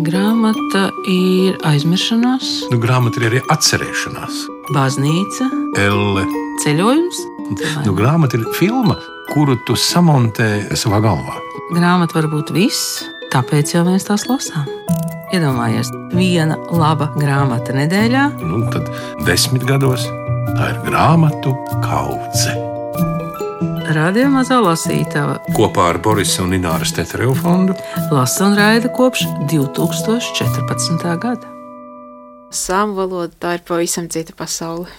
Grāmata ir aizmiršanās, Grāmata ir arī atcerēšanās. baznīca, Elle. ceļojums. Grāmata ir filma, kuru tu samontē savā galvā. Grāmata var būt viss, tāpēc jau mēs tās lasām. Iedomājies, viena laba grāmata nedēļā. Tad 10 gados tā ir grāmatu kaudze. Radio Mazā lasītava Kopā ar Borisa un Ināras Tetereva fondu lasa un raida kopš 2014. gada. Sāmu valoda tā ir pavisam cita pasaule.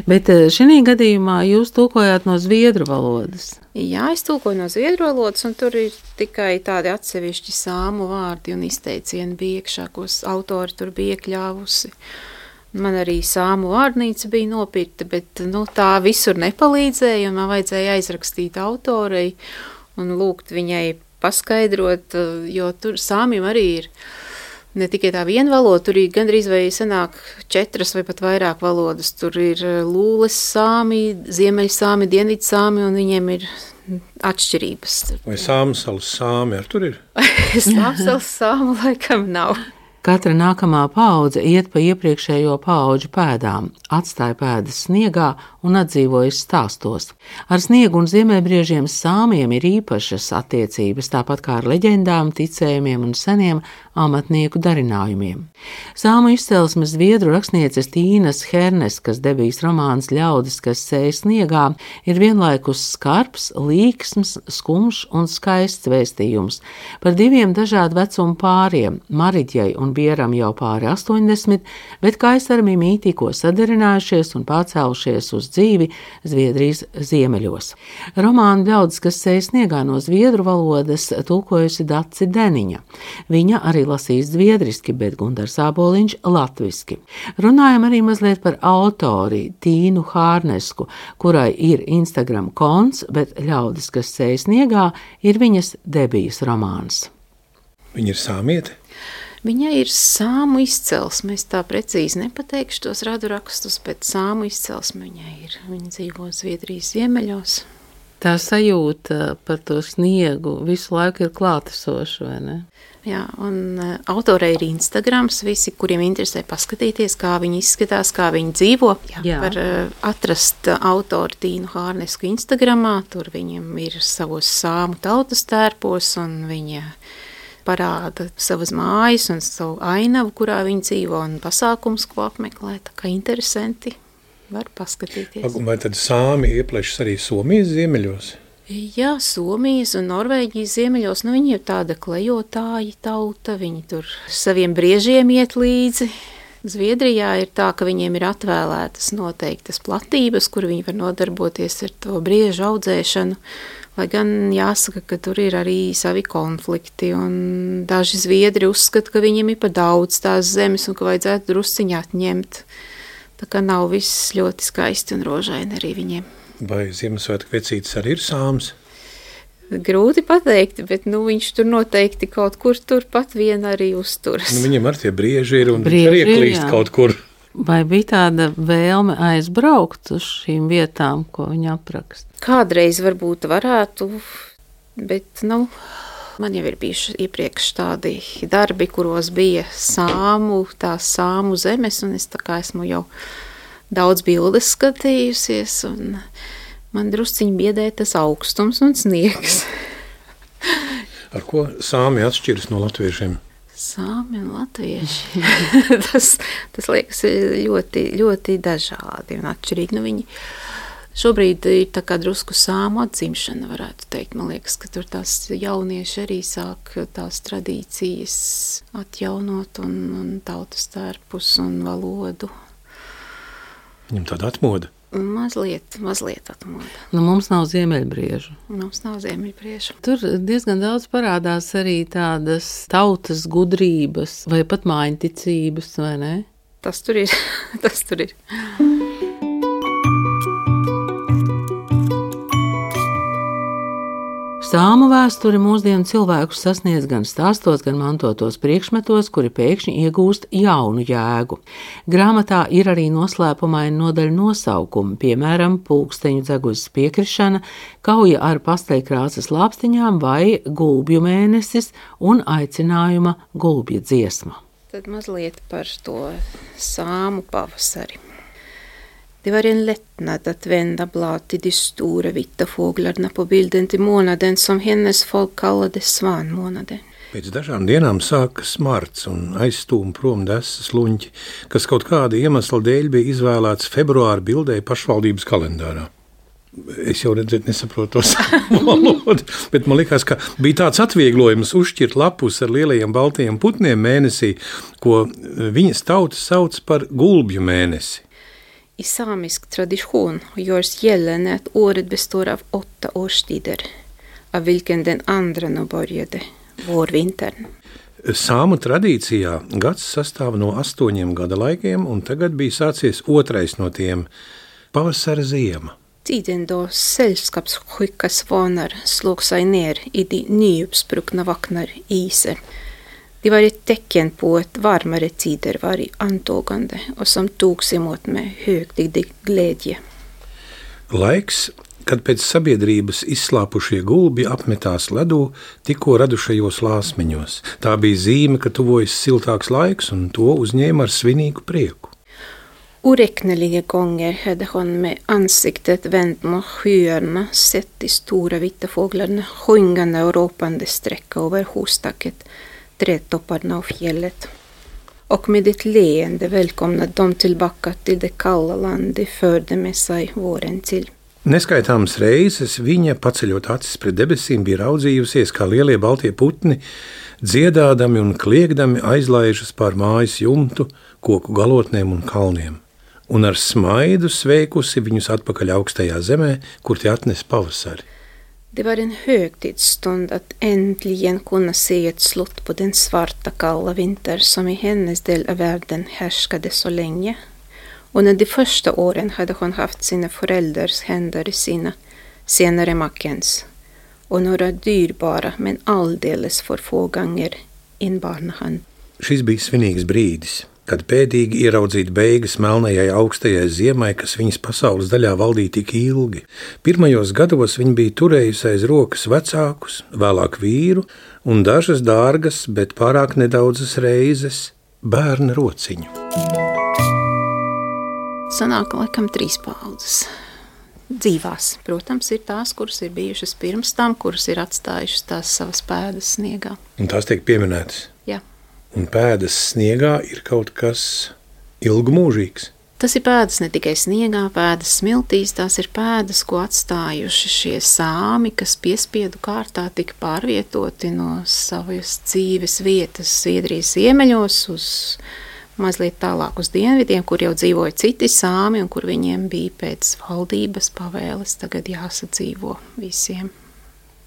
Bet šī gadījumā jūs tulkojāt no zviedru valodas. Jā, es tulkoju no zviedru valodas, un tur ir tikai tādi atsevišķi sāmu vārdi un izteicieni bija iekšā, ko autori tur bija iekļāvusi. Man arī sāmu vārnīca bija nopirkta, bet tā visur nepalīdzēja, un man vajadzēja aizrakstīt autorei un lūgt viņai paskaidrot, jo tur sāmim arī ir ne tikai tā viena valoda, tur ir gandrīz vai sanāk 4 vai pat vairāk valodas. Tur ir lūles sāmi, ziemeļsāmi, dienvidsāmi, un viņiem ir atšķirības. Vai Sāmsalas sāmi ar tur ir? Sāmsalas sāmu laikam nav. Katra nākamā paudze iet pa iepriekšējo paudžu pēdām, atstāja pēdas sniegā un atdzīvojas stāstos. Ar sniegu un ziemeļbriežiem sāmiem ir īpašas attiecības, tāpat kā ar leģendām, ticējumiem un seniem amatnieku darinājumiem. Sāmu izcelsmes zviedru rakstnieces Tīnas Herneskas debijas romāns Ļaudis, kas sēj sniegā, ir vienlaikus skarbs, līksms, skumjš un skaists vēstījums par 2 dažādu vecumu pāriem, Mariģai un Bieram jau pāri 80, bet Kaisaram Mimī tikko sadarinājušies un pārcēlušies uz dzīvi Zviedrijas ziemeļos. Romānu Ļaudis, kas sēj sniegā no zviedru valodas, tulkojusi Daci Deniņa. Viņa arī lasīs zviedriski, bet Gundars Āboliņš latviski. Runājam arī mazliet par autori Tīnu Hārnesku, kurai ir Instagram konts, bet Ļaudis, kas sēj sniegā, ir viņas debijas romāns. Viņa ir sāmiete? Viņai ir sāmu izcelsme. Es tā precīzi nepateikšu tos radurakstus, bet sāmu izcelsme viņai ir. Viņa dzīvo Zviedrijas ziemeļos. Tā sajūta par to sniegu visu laiku ir klātesoša, vai ne? Jā, un autorei ir Instagrams. Visi, kuriem interesē paskatīties, kā viņi izskatās, kā viņi dzīvo, var atrast autoru Tīnu Hārnesku Instagramā. Tur viņam ir savos sāmu tautas tērpos, un viņa parāda savas mājas un savu ainavu, kurā viņi dzīvo, un pasākums, ko apmeklē. Tā kā interesanti var paskatīties. Vai tad sāmi ieplešas arī Somijas ziemeļos? Jā, Somijas un Norvēģijas ziemeļos, viņi ir tāda klejotāji tauta, viņi tur saviem briežiem iet līdzi. Zviedrijā ir tā, ka viņiem ir atvēlētas noteiktas platības, kur viņi var nodarboties ar to briežu audzēšanu. Lai gan jāsaka, ka tur ir arī savi konflikti, un daži zviedri uzskata, ka viņiem ir par daudz tās zemes un ka vajadzētu drusciņā atņemt. Tā kā nav viss ļoti skaisti un rožaini arī viņiem. Vai Ziemassvētku vecītis arī ir sāms? Grūti pateikt, bet viņš tur noteikti kaut kur turpat vien arī uzturas. Viņam ar tie brieži ir un viņš ieklīst kaut kur. Vai bija tāda vēlme aizbraukt uz šīm vietām, ko viņa apraksta? Kādreiz varbūt varētu, bet man jau ir bijuši iepriekš tādi darbi, kuros bija tās sāmu zemes, un es tā kā esmu jau daudz bildes skatījusies, un man drusciņi biedē tas augstums un sniegs. Ar ko sāmi atšķiras no latviešiem? Sāmi un latvieši. tas liekas ļoti, ļoti dažādi un atšķirīgi. Viņi šobrīd ir tā kā drusku sāmu atzimšana, varētu teikt. Man liekas, ka tur tās jaunieši arī sāk tās tradīcijas atjaunot un tautas tērpus un valodu. Viņam tāda atmoda? Mazliet atmoda. Mums nav ziemeļbriežu. Tur diezgan daudz parādās arī tādas tautas gudrības vai pat mājiņticības, vai ne? Tas tur ir. Sāmu vēsture mūsdienu cilvēkus sasniedz gan stāstos, gan mantotos priekšmetos, kuri pēkšņi iegūst jaunu jēgu. Grāmatā ir arī noslēpumaini nodaļu nosaukumi, piemēram, pulksteņu dzeguzes piekrišana, kauja ar pasteļkrāsas lāpstiņām vai gulbju mēnesis un aicinājuma gulbja dziesma. Tad mazliet par to sāmu pavasari. Det var en lättnad att vända blad till de stora vita fåglarna på bilden till månaden som hennes folk kallade svanmånaden. Pēc dažām dienām sākas marts un aizstūma prom desas luņķi, kas kaut kāda iemesla dēļ bija izvēlēts februāra bildē pašvaldības kalendārā. Es jau nesaprotu to savu valodu, bet man likās, ka bija tāds atvieglojums uzšķirt lapus ar lielajiem baltajiem putniem mēnesī, ko viņas tauta sauc par gulbju mēnesi. I samisk tradition görs gällande att året består av 8 årstider, av vilken den andra nu började, vårvintern. Sāmu tradīcijā gads sastāv no 8 gada laikiem, un tagad bija sācies otrais no tiem – pavasara ziema. Tiden då sällskapssjuka svanar slog sig ner i de nyuppspruckna vaknar isen. Det var ett tecken på att varmare tider var i antågande och som togs emot med högtidlig glädje. Laiks, kad pēc sabiedrības izslāpušie gulbi apmetās ledū tikko radušajos lāsmeņos. Tā bija zīme, ka tuvojas siltāks laiks, un to uzņēma ar svinīgu prieku. Oräkneliga gånger hade hon med ansiktet vänt mot skyarna sett de stora vita fåglarna sjungande och ropande sträcka över hostaket, trädtopparna och fjället. Och med ett leende välkomnade de tillbaka till det kalla land de förde med sig våren till. Neskaitāmas reizes viņa, paceļot acis pret debesīm, bija raudzījusies, kā lielie baltie putni, dziedādami un kliegdami aizlaižas pār mājas jumtu, koku galotnēm un kalniem. Un ar smaidu sveikusi viņus atpakaļ augstajā zemē, kur tie atnes pavasari. Det var en högtidsstund att äntligen kunna se ett slut på den svarta kalla vinter som i hennes del av världen härskade så länge. Under de första åren hade hon haft sina föräldrars händer i sina, senare makens, och några dyrbara men alldeles för få gånger in barnahand. Šis bija svinīgs brīdis, kad pēdīgi ieraudzīt beigas melnajai augstajai ziemai, kas viņas pasaules daļā valdīja tik ilgi. Pirmajos gados viņa bija turējusi aiz rokas vecākus, vēlāk vīru un dažas dārgas, bet pārāk nedaudzas reizes bērna rociņu. Sanāk laikam 3 paudzes dzīvās. Protams, ir tās, kuras ir bijušas pirms tam, kuras ir atstājušas tās savas pēdas sniegā. Un tās tiek pieminētas. Jā. Un pēdas sniegā ir kaut kas ilgmūžīgs. Tas ir pēdas ne tikai sniegā, pēdas smiltīs, tās ir pēdas, ko atstājuši šie sāmi, kas piespiedu kārtā tika pārvietoti no savas dzīves vietas Zviedrijas ziemeļos uz mazliet tālāk uz dienvidiem, kur jau dzīvoja citi sāmi un kur viņiem bija pēc valdības pavēles tagad jāsadzīvo visiem.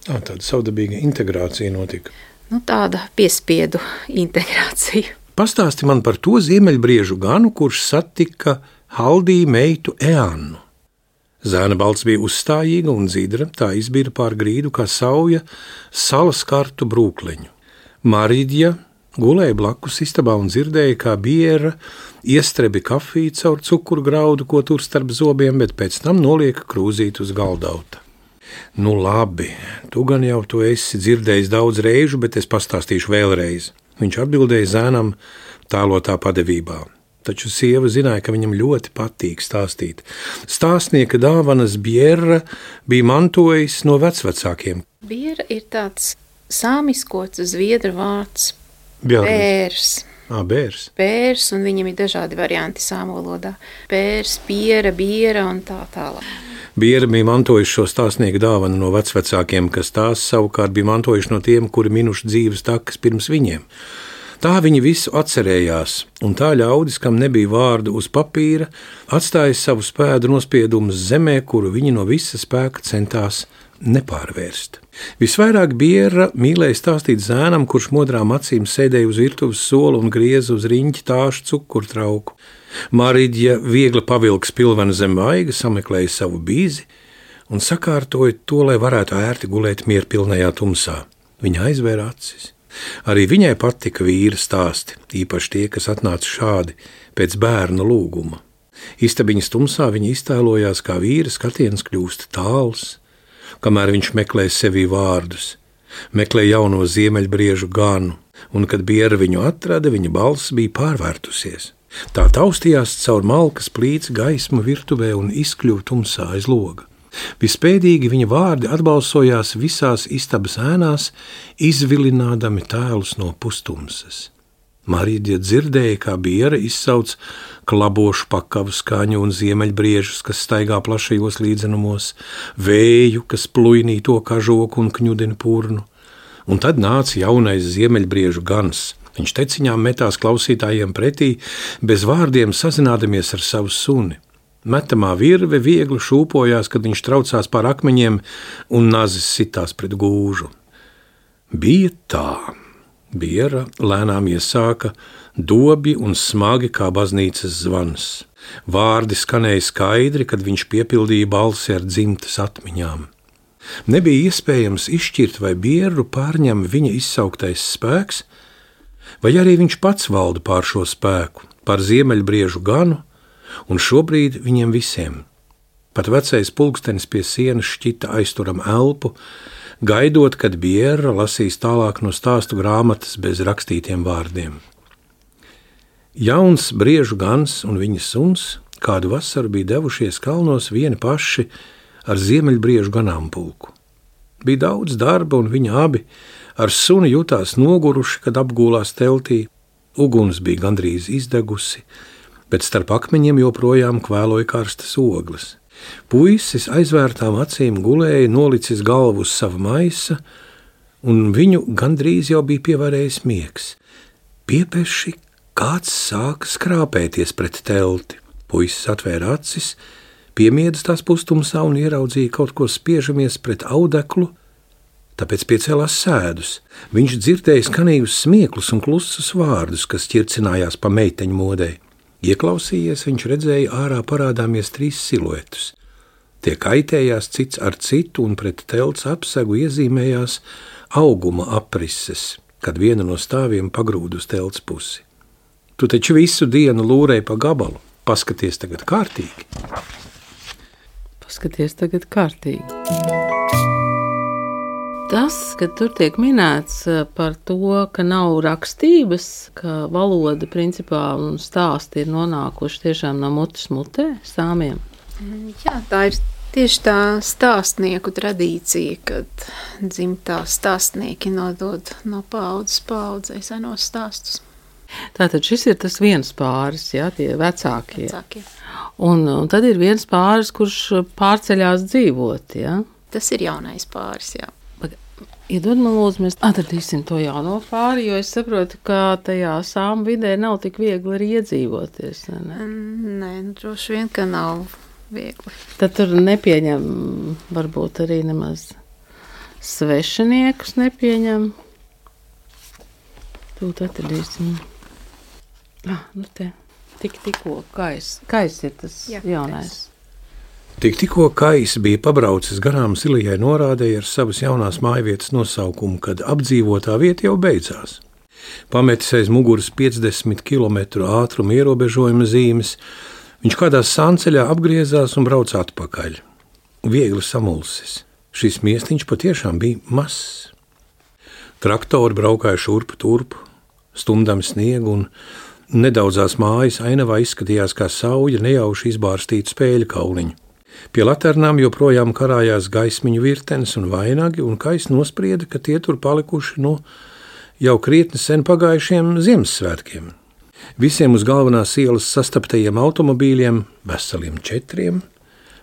Tāda savdabīga integrācija notika. Tāda piespiedu integrācija. Pastāsti man par to ziemeļbriežu ganu, kurš satika Haldī meitu Eannu. Zēna balts bija uzstājīga un dzidra, tā izbira pār grīdu kā sauja salas kartu brūkleņu. Maridja gulēja blakus istabā un dzirdēja, kā biera iestrebi kafiju caur cukurgraudu, ko tur starp zobiem, bet pēc tam nolieka krūzīt uz galdauta. Nu labi, tu gan jau to esi dzirdējis daudz reižu, bet es pastāstīšu vēlreiz. Viņš atbildēja zēnam tālotā padevībā. Taču sieva zināja, ka viņam ļoti patīk stāstīt. Stāstnieka dāvanas biera bija mantojis no vecvecākiem. Biera ir tāds sāmiskots zviedru vārds Bērs. Bērs. Bērs, un viņam ir dažādi varianti sāmu valodā. Bērs, biera, biera un tā tālāk. Biera bija mantojuši šo stāstnieku dāvanu no vecvecākiem, kas tās savukārt bija mantojuši no tiem, kuri minuši dzīves takas pirms viņiem. Tā viņi visu atcerējās, un tā ļaudis, kam nebija vārdu uz papīra, atstāja savu spēdu nospiedumus zemē, kuru viņi no visa spēka centās nepārvērst. Visvairāk biera mīlēja stāstīt zēnam, kurš modrām acīm sēdēja uz virtuves sola un grieza uz riņķi tāšu cukurtrauku. Maridja viegli pavilka spilvenu zem vaiga, sameklēja savu bīzi un sakārtoja to, lai varētu ērti gulēt mierpilnajā tumsā. Viņa aizvēra acis. Arī viņai patika vīra stāsti, īpaši tie, kas atnāca šādi pēc bērna lūguma. Istabiņas tumsā viņa iztēlojās, kā vīra skatiens kļūst tāls, kamēr viņš meklē sevī vārdus, meklē jauno ziemeļbriežu ganu, un, kad biera viņu atrada, viņa balss bija pārvērtusies. Tā taustījās caur malkas plīts gaismu virtuvē un izkļuva tumsā aiz loga. Vispēdīgi viņa vārdi atbalsojās visās istabas ēnās, izvilinādami tēlus no pustumsas. Marīģa dzirdēja, kā biera izsauc klabošu pakavu skaņu un ziemeļbriežus, kas staigā plašajos līdzenumos, vēju, kas plujnī to kažoku un kņudina purnu. Un tad nāca jaunais ziemeļbriežu gans. Viņš teciņām metās klausītājiem pretī, bez vārdiem sazinādamies ar savu suni. Metamā virve viegli šūpojās, kad viņš traucās pār akmeņiem un nazis sitās pret gūžu. Bija tā. Biera lēnām iesāka, dobi un smagi kā baznīcas zvans. Vārdi skanēja skaidri, kad viņš piepildīja balsi ar dzimtas atmiņām. Nebija iespējams izšķirt, vai bieru pārņem viņa izsauktais spēks, vai arī viņš pats valda pār šo spēku, pār ziemeļbriežu ganu, un šobrīd viņiem visiem. Pat vecais pulkstenis pie sienas šķita aizturam elpu, gaidot, kad biera lasīs tālāk no stāstu grāmatas bez rakstītiem vārdiem. Jauns briežu gans un viņa suns kādu vasaru bija devušies kalnos vieni paši ar ziemeļbriežu ganāmpulku. Bija daudz darba, un viņi abi ar suni jutās noguruši, kad apgūlās teltī. Uguns bija gandrīz izdegusi, bet starp akmeņiem joprojām kvēloja karstas ogles. Puisis aizvērtām acīm gulēja, nolicis galvu uz sava maisa, un viņu gandrīz jau bija pievērējis miegs. Piepeši kāds sāka skrāpēties pret telti. Puisis atvēra acis, piemiedz tās pustumsā un ieraudzīja kaut ko spiežamies pret audeklu, tāpēc piecēlās sēdus. Viņš dzirdēja skanīgus smieklus un klusus vārdus, kas ķircinājās pa meiteņu modei. Ieklausījies, viņš redzēja ārā parādāmies 3 siluetus. Tie kaitējās cits ar citu, un pret telts apsegu iezīmējās auguma aprises, kad viena no stāviem pagrūda uz telts pusi. Tu taču visu dienu lūrēji pa gabalu. Paskaties tagad kārtīgi. Paskaties tagad kārtīgi. Tas, ka tur tiek minēts par to, ka nav rakstības, ka valoda principā un stāsti ir nonākuši tiešām no mutes mutē sāmiem. Jā, tā ir tieši tā stāstnieku tradīcija, kad dzimtā stāstnieki nodod no paaudzes paaudzei senos stāstus. Tātad šis ir tas viens pāris, jā, tie vecākie. Un tad ir viens pāris, kurš pārceļās dzīvot, jā? Tas ir jaunais pāris, jā. Iedod man lūdzu, mēs atradīsim to jauno pāri, jo es saprotu, ka tajā sāmu vidē nav tik viegli arī iedzīvoties. Nē, droši vien, ka nav viegli. Tad tur nepieņem varbūt arī nemaz svešiniekus nepieņem. Tūt atradīsim. Nu te, tikko Kais ir tas jaunais. Tikko Kais bija pabraucis garām zilajai norādei ar savas jaunās mājvietas nosaukumu, kad apdzīvotā vieta jau beidzās. Pametis aiz muguras 50 km ātruma ierobežojuma zīmes, viņš kādā sānceļā apgriezās un brauca atpakaļ. Viegli samulsis. Šis miestiņš patiešām bija mazs. Traktori braukāja šurpu turpu, stumdami sniegu, un nedaudzās mājas ainavā izskatījās kā sauja nejauši izbārstītu spēļu kauliņu. Pie laternām joprojām karājās gaismiņu virtenes un vainagi, un Kais nosprieda, ka tie tur palikuši no jau krietni sen pagājušiem Ziemassvētkiem. Visiem uz galvenās ielas sastaptajiem automobīļiem, veseliem 4,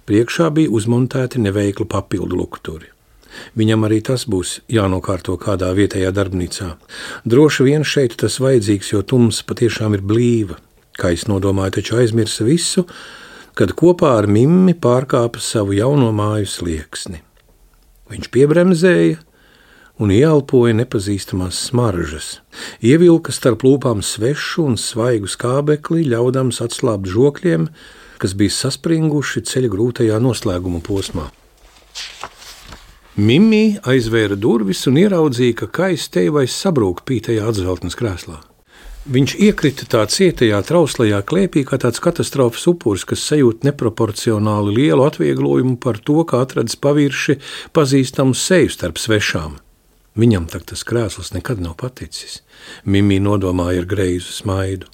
priekšā bija uzmontēti neveikli papildu lukturi. Viņam arī tas būs jānokārto kādā vietējā darbnīcā. Droši vien šeit tas vajadzīgs, jo tums patiešām ir blīva. Kais nodomāja taču aizmirsa visu, kad kopā ar Mimmi pārkāpa savu jauno māju slieksni. Viņš piebremzēja un ieelpoja nepazīstamās smaržas, ievilka starp lūpām svešu un svaigu skābekli, ļaudams atslābt žokļiem, kas bija saspringuši ceļa grūtajā noslēguma posmā. Mimī aizvēra durvis un ieraudzīja, ka Kais teivais sabrūk pītajā atzveltnes krēslā. Viņš iekrita tā cietajā, trauslajā klēpī kā tāds katastrofas upuris, kas sajūt neproporcionāli lielu atvieglojumu par to, kā atradis pavirši pazīstamu seju starp svešām. Viņam tak tas krēsls nekad nav paticis. Mimī nodomāja ar greizu smaidu.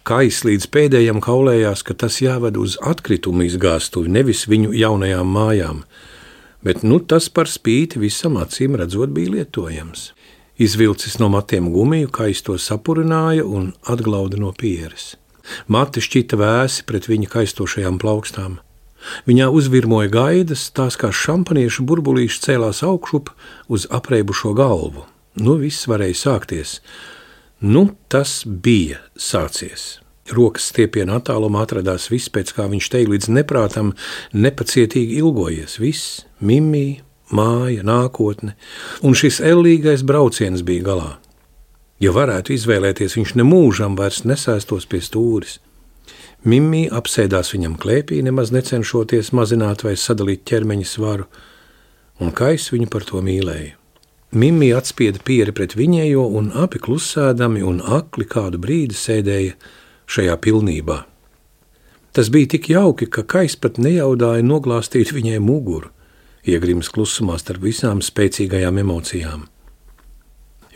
Kais līdz pēdējam kaulējās, ka tas jāved uz atkritumu izgāstuvi, nevis viņu jaunajām mājām. Bet tas par spīti visam acīm redzot bija lietojams. Izvilcis no matiem gumiju, Kais to sapurināja un atglauda no pieres. Mati šķita vēsi pret viņa kaistošajām plaukstām. Viņā uzvirmoja gaidas, tās kā šampaniešu burbulīši cēlās augšup uz apreibušo galvu. Viss varēja sākties. Tas bija sācies. Rokas stiepiena attālumā atradās viss, pēc kā viņš te līdz neprātam nepacietīgi ilgojies. Viss, Mimī, māja, nākotne, un šis ellīgais brauciens bija galā. Ja varētu izvēlēties, viņš nemūžam vairs nesēstos pie stūris. Mimī apsēdās viņam klēpī, nemaz necenšoties mazināt vai sadalīt ķermeņa svaru, un Kais viņu par to mīlēja. Mimī atspieda pieri pret viņējo, un abi klusēdami un akli kādu brīdi sēdēja šajā pilnībā. Tas bija tik jauki, ka Kais pat nejaudāja noglāstīt viņai muguru, iegrims klusumā starp visām spēcīgajām emocijām.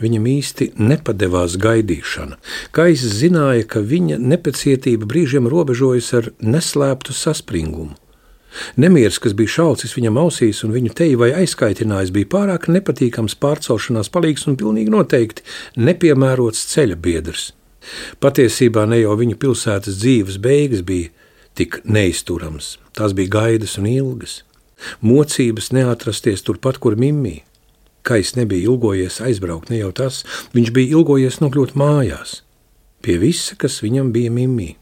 Viņam īsti nepadevās gaidīšana. Kais zināja, ka viņa nepacietība brīžiem robežojas ar neslēptu saspringumu. Nemieris, kas bija šaucis viņam ausīs un viņu teju vai aizkaitinājis, bija pārāk nepatīkams pārcelšanās palīgs un pilnīgi noteikti nepiemērots ceļa biedrs. Patiesībā ne jau viņu pilsētas dzīves beigas bija tik neizturams, tās bija gaidas un ilgas. Mocības neatrasties turpat, kur Mimī. Kais nebija ilgojies aizbraukt, ne jau tas, viņš bija ilgojies nokļūt mājās. Pie visa, kas viņam bija Mimī.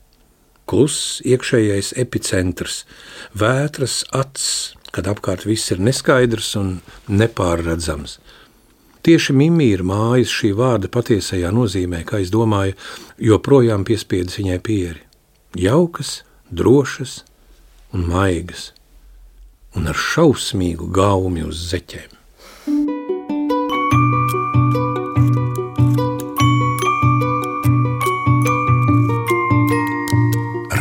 Kluss iekšējais epicentrs, vētras acs, kad apkārt viss ir neskaidrs un nepārredzams. Tieši Mimī ir mājas šī vārda patiesajā nozīmē, kā es domāju, joprojām piespiedis viņai pieri. Jaukas, drošas un maigas, un ar šausmīgu gaumi uz zeķēm.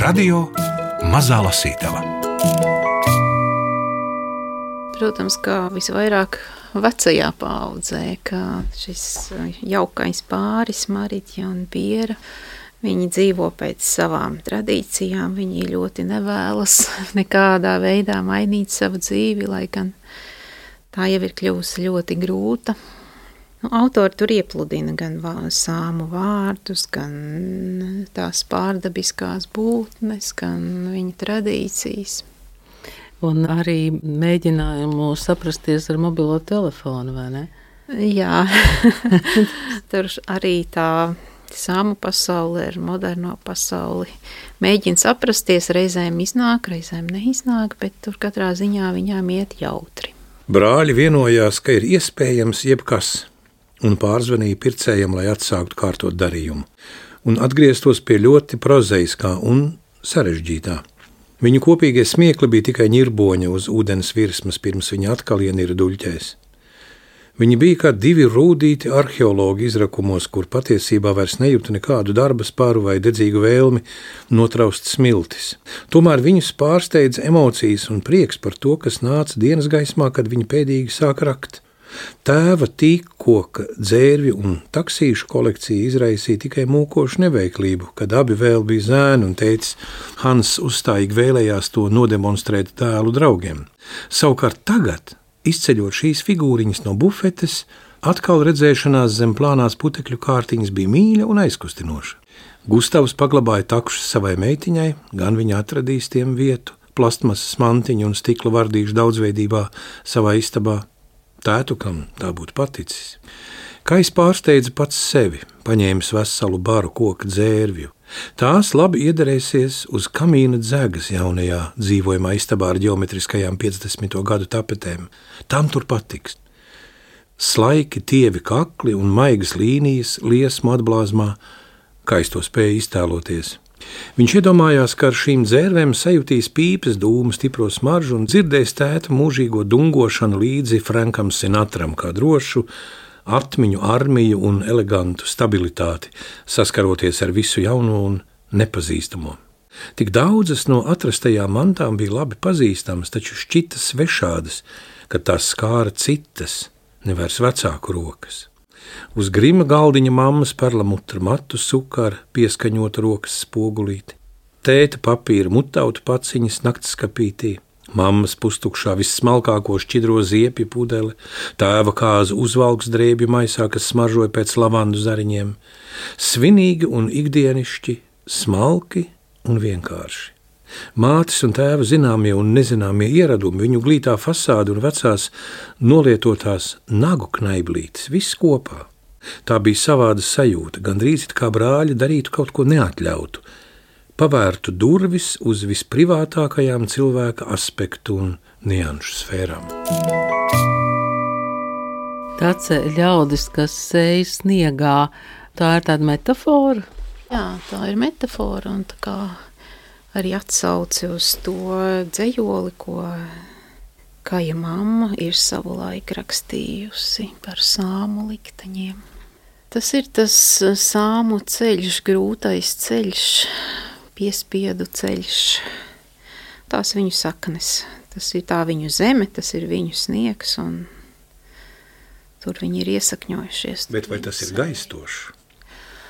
Radio Mazā Lasītava. Protams, kā visvairāk vecajā paaudzē, ka šis jaukais pāris, Maritja un Piera, viņi dzīvo pēc savām tradīcijām, viņi ļoti nevēlas nekādā veidā mainīt savu dzīvi, lai gan tā jau ir kļuvusi ļoti grūta. Autori tur iepludina gan sāmu vārdus, gan tās pārdabiskās būtnes, gan viņa tradīcijas. Un arī mēģinājumu saprasties ar mobilo telefonu, vai ne? Jā, tur arī tā sāmu pasaule ar moderno pasauli mēģina saprasties, reizēm iznāk, reizēm neiznāk, bet tur katrā ziņā viņām iet jautri. Brāļi vienojās, ka ir iespējams jebkas, un pārzvanīja pircējam, lai atsāktu kārtot darījumu, un atgrieztos pie ļoti prozaiskā un sarežģītā. Viņu kopīgie smiekli bija tikai ņirboņa uz ūdens virsmas, pirms viņa atkal ienira duļķēs. Viņi bija kā divi rūdīti arheologi izrakumos, kur patiesībā vairs nejūta nekādu darba spāru vai dedzīgu vēlmi notraust smiltis. Tomēr viņus pārsteidza emocijas un prieks par to, kas nāca dienas gaismā, kad viņi pēdīgi sāk rakt. Tēva tīkkoka, dzērvju un taksīšu kolekcija izraisīja tikai mūkošu neveiklību, kad abi vēl bija zēni un teicis, Hans uzstājīgi vēlējās to nodemonstrēt dēlu draugiem. Savukārt tagad, izceļot šīs figūriņas no bufetes, atkal redzēšanās zem plānās putekļu kārtiņas bija mīļa un aizkustinoša. Gustavs paglabāja takšus savai meitiņai, gan viņa atradīs tiem vietu, plastmasas mantiņu un stikla vardīšu daudzveidībā savā istabā. Tētu, kam tā būtu paticis. Kais pārsteidza pats sevi, paņēmis veselu baru koka dzērvju. Tās labi iederēsies uz kamīna dzegas jaunajā dzīvojamā istabā ar ģeometriskajām 50. gadu tapetēm. Tam tur patiks. Slaiki, tievi kakli un maigas līnijas liesmu atblāzmā, Kais to spēja iztēloties. Viņš iedomājās, ka ar šīm dzērvēm sajutīs pīpes dūmu stipro smaržu un dzirdēs tēta mūžīgo dungošanu līdzi Frankam Sinatram kā drošu atmiņu armiju un elegantu stabilitāti, saskaroties ar visu jauno un nepazīstamo. Tik daudzas no atrastajām mantām bija labi pazīstamas, taču šķita svešādas, kad tās skāra citas, nevairs vecāku rokas. Uz grima galdiņa mammas perlamutra matu suka ar pieskaņotu rokas spogulīti, tēta papīra mutautu paciņas naktskapītī, mammas pustukšā vissmalkāko šķidro ziepju pudeli, tēva kāzu uzvalks drēbju maisā, kas smaržoja pēc lavandu zariņiem, svinīgi un ikdienišķi, smalki un vienkārši. Mātes un tēva zināmie un nezināmie ieradumi, viņu glītā fasāde un vecās nolietotās nagu knaiblītes, viss kopā. Tā bija savāda sajūta, gandrīz it kā brāļi darītu kaut ko neatļautu, pavērtu durvis uz visprivātākajām cilvēka aspektu un nianšu sfērām. Tāds ļaudis, kas sēž sniegā, tā ir tāda metafora? Jā, tā ir metafora un tā kā arī atsauci uz to dzejoli, ko Kaja mamma ir savulaik rakstījusi par sāmu likteņiem. Tas ir tas sāmu ceļš, grūtais ceļš, piespiedu ceļš, tās viņu saknes. Tas ir tā viņu zeme, tas ir viņu sniegs, un tur viņi ir iesakņojušies. Bet vai tas ir gaistošs?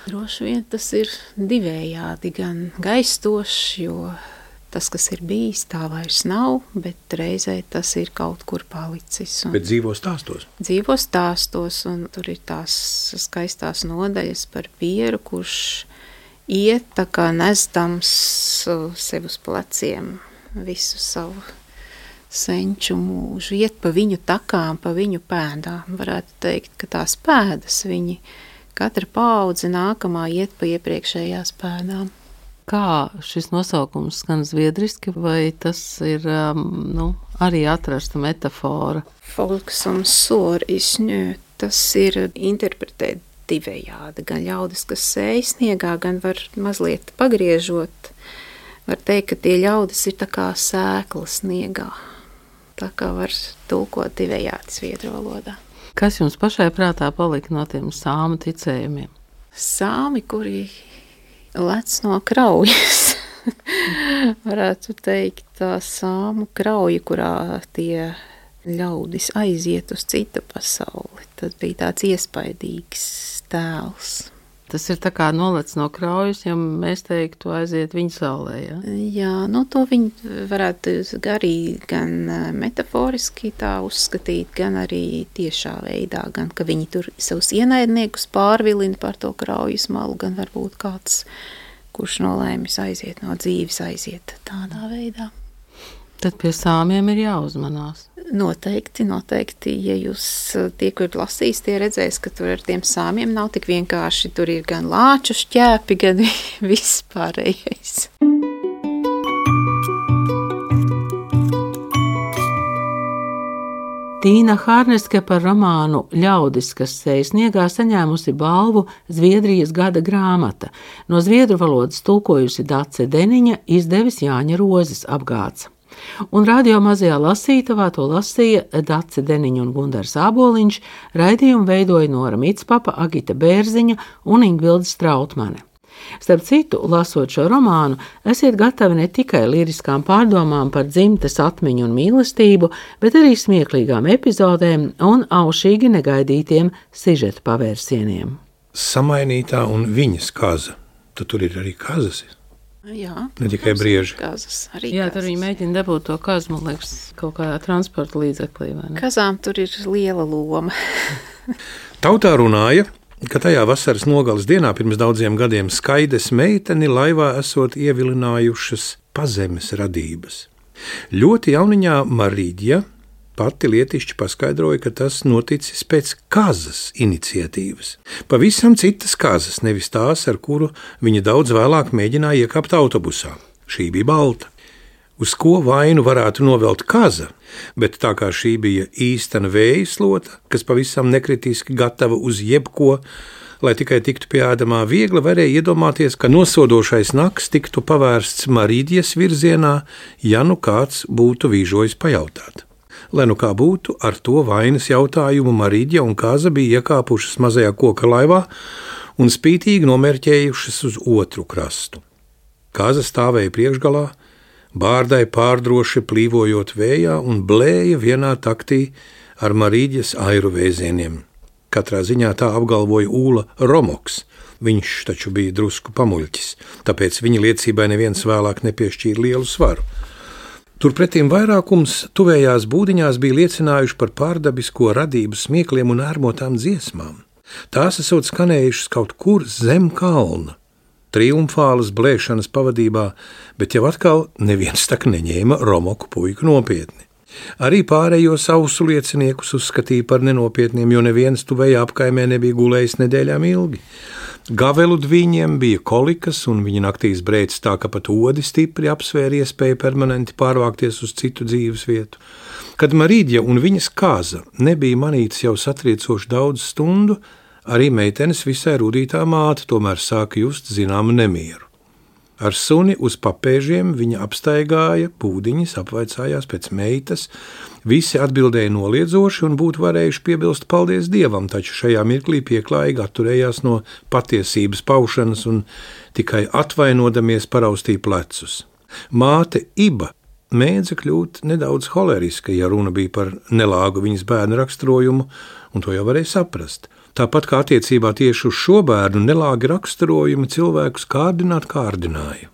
Droši vien tas ir divējādi, gan gaistošs, jo tas, kas ir bijis, tā vairs nav, bet reizē tas ir kaut kur palicis. Bet dzīvo stāstos? Dzīvo stāstos, un tur ir tās skaistās nodaļas par Pieru, kurš iet tā kā nesdams sev uz pleciem visu savu senču mūžu, iet pa viņu takām, pa viņu pēdām. Varētu teikt, ka tās pēdas viņi katra paudze nākamā iet pa iepriekšējās pēdām. Kā šis nosaukums skan zviedriski, vai tas ir arī atrasta metafora? Folks un sor izņē, tas ir interpretēt divējādi. Gan ļaudis, kas sēj sniegā, gan var mazliet pagriežot. Var teikt, ka tie ļaudis ir tā kā sēkla sniegā. Tā kā var tulkot divējādi zviedru valodā. Kas jums pašai prātā palika no tiem sāmu ticējumiem? Sāmi, kuri lec no kraujas. Varētu teikt, tā sāmu krauja, kurā tie ļaudis aiziet uz citu pasauli. Tas bija tāds iespaidīgs tēls. Tas ir tā kā nolec no kraujas, ja mēs teiktu aiziet viņa saulē, ja? Jā, to viņi varētu arī gan metaforiski tā uzskatīt, gan arī tiešā veidā, gan ka viņi tur savus ienaidniekus pārvilina par to kraujas malu, gan varbūt kāds, kurš nolēmis aiziet no dzīves, aiziet tādā veidā. Tad pie sāmiem ir jāuzmanās. Noteikti. Ja jūs tie, kur lasīs, tie redzēs, ka tur ar tiem sāmiem nav tik vienkārši. Tur ir gan lāču šķēpi, gan viss pārējais. Tīna Hārneske par romānu Ļaudis, kas sēj sniegā, saņēmusi balvu Zviedrijas gada grāmata. No zviedru valodas tulkojusi Dace Deniņa, izdevis Jāņa Rozes apgāds. Un radio mazajā lasītavā to lasīja Dace Deniņa un Gundars Āboliņš, raidījumu veidoja Nora Mitspapa, Agita Bērziņa un Ingvilda Strautmane. Starp citu, lasot šo romānu, esiet gatavi ne tikai liriskām pārdomām par dzimtes atmiņu un mīlestību, bet arī smieklīgām epizodēm un aušīgi negaidītiem sižeta pavērsieniem. Samainītā un viņas kaza. Tur ir arī kazas. Jā, ne tikai brieži. Kazas, arī jā, kazas. Tur viņi mēģina dabūt to kazu, man liekas, kaut kādā transporta līdzeklī, vai ne? Kazām tur ir liela loma. Tautā runāja, ka tajā vasaras nogales dienā pirms daudziem gadiem Skaides meiteni laivā esot ievilinājušas pazemes radības. Ļoti jauniņā Marīģa pati lietišķi paskaidroja, ka tas noticis pēc kazas iniciatīvas. Pavisam citas kazas, nevis tās, ar kuru viņa daudz vēlāk mēģināja iekāpt autobusā. Šī bija balta. uz ko vainu varētu novelt kaza, bet tā kā šī bija īstena vējaslota, kas pavisam nekritiski gatava uz jebko, lai tikai tiktu pie ēdamā, viegli varēja iedomāties, ka nosodošais naks tiktu pavērsts Marīģes virzienā, ja nu kāds būtu vīžojis pajautāt. Lai nu kā būtu, ar to vainas jautājumu Marīģe un Kaza bija iekāpušas mazajā koka laivā un spītīgi nomērķējušas uz otru krastu. Kaza stāvēja priekšgalā, bārdai pārdroši plīvojot vējā un blēja vienā taktī ar Marīģes airu vēzieniem. Katrā ziņā tā apgalvoja Ūla Romoks. Viņš taču bija drusku pamuļķis, tāpēc viņa liecībai neviens vēlāk nepiešķīra lielu svaru. Turpretīm vairākums tuvējās būdiņās bija liecinājuši par pārdabisko radību smiekliem un ērmotām dziesmām. Tās esot skanējušas kaut kur zem kalna, triumfālas blēšanas pavadībā, bet jau atkal neviens tak neņēma Romoku puiku nopietni. Arī pārējo sausu lieciniekus uzskatīja par nenopietniem, jo neviens tuvējā apkaimē nebija gulējis nedēļām ilgi. Gavelu dviņiem bija kolikas, un viņa naktīs brēc tā, ka pat odi stipri apsvēra iespēju permanenti pārvākties uz citu dzīves vietu. Kad Marīģe un viņas Kaza nebija manītas jau satriecoši daudz stundu, arī meitenes visai rudītā māte tomēr sāka just zināmu nemieru. Ar suni uz papēžiem viņa apstaigāja būdiņas, apvaicājās pēc meitas, visi atbildēja noliedzoši un būtu varējuši piebilst paldies Dievam, taču šajā mirklī pieklājīgi atturējās no patiesības paušanas un tikai atvainodamies paraustīja plecus. Māte Iba mēdza kļūt nedaudz holeriska, ja runa bija par nelāgu viņas bērnu raksturojumu, un to jau varēja saprast. Tāpat kā attiecībā tieši uz šo bērnu nelāgi raksturojumi cilvēkus kārdināja.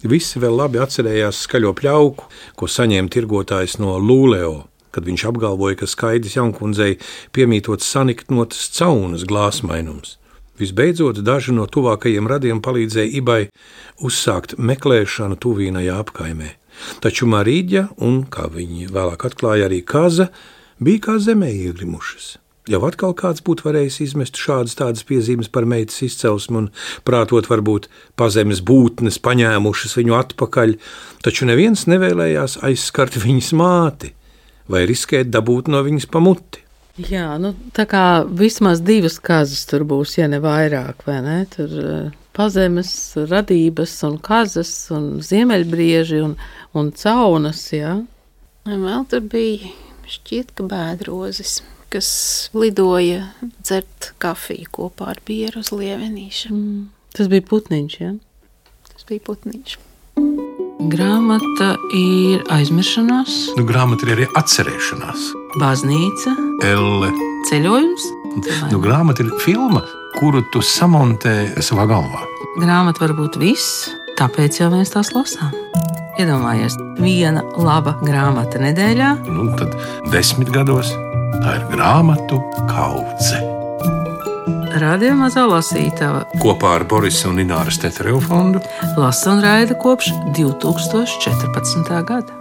Visi vēl labi atcerējās skaļo pļauku, ko saņēma tirgotājs no Lūleo, kad viņš apgalvoja, ka Skaidis jaunkundzei piemītot saniknotas caunas glāsmainums. Visbeidzot, daži no tuvākajiem radiem palīdzēja Ibai uzsākt meklēšanu tuvīnajā apkaimē. Taču Marīģe un, kā viņi vēlāk atklāja, arī Kaza bija kā zemē iegrimušas. Jau atkal kāds būtu varējis izmest tādas piezīmes par meitas izcelsmi un prātot varbūt pazemes būtnes paņēmušas viņu atpakaļ, taču neviens nevēlējās aizskart viņas māti vai riskēt dabūt no viņas pamuti. Jā, tā kā vismaz 2 kazas tur būs, ja ne vairāk, vai ne? Tur pazemes radības un kazas un ziemeļbrieži un caunas, jā. Vēl tur bija šķiet, ka bēdrozes, kas lidoja dzert kafiju kopā ar bieru uz Lievenīša. Tas bija putniņš, ja? Tas bija putniņš. Grāmata ir aizmiršanās. Grāmata ir arī atcerēšanās. Baznīca. Elle. Ceļojums. Grāmata ir filma, kuru tu samontē savā galvā. Grāmata var būt viss, tāpēc jau mēs tās lasām. Iedomājies, 1 laba grāmata nedēļā. Tad 10 gados tā ir grāmatu kaudze. Radio Mazā lasītava Kopā ar Borisa un Ināras Teterevu fondu lasa un raida kopš 2014. gada.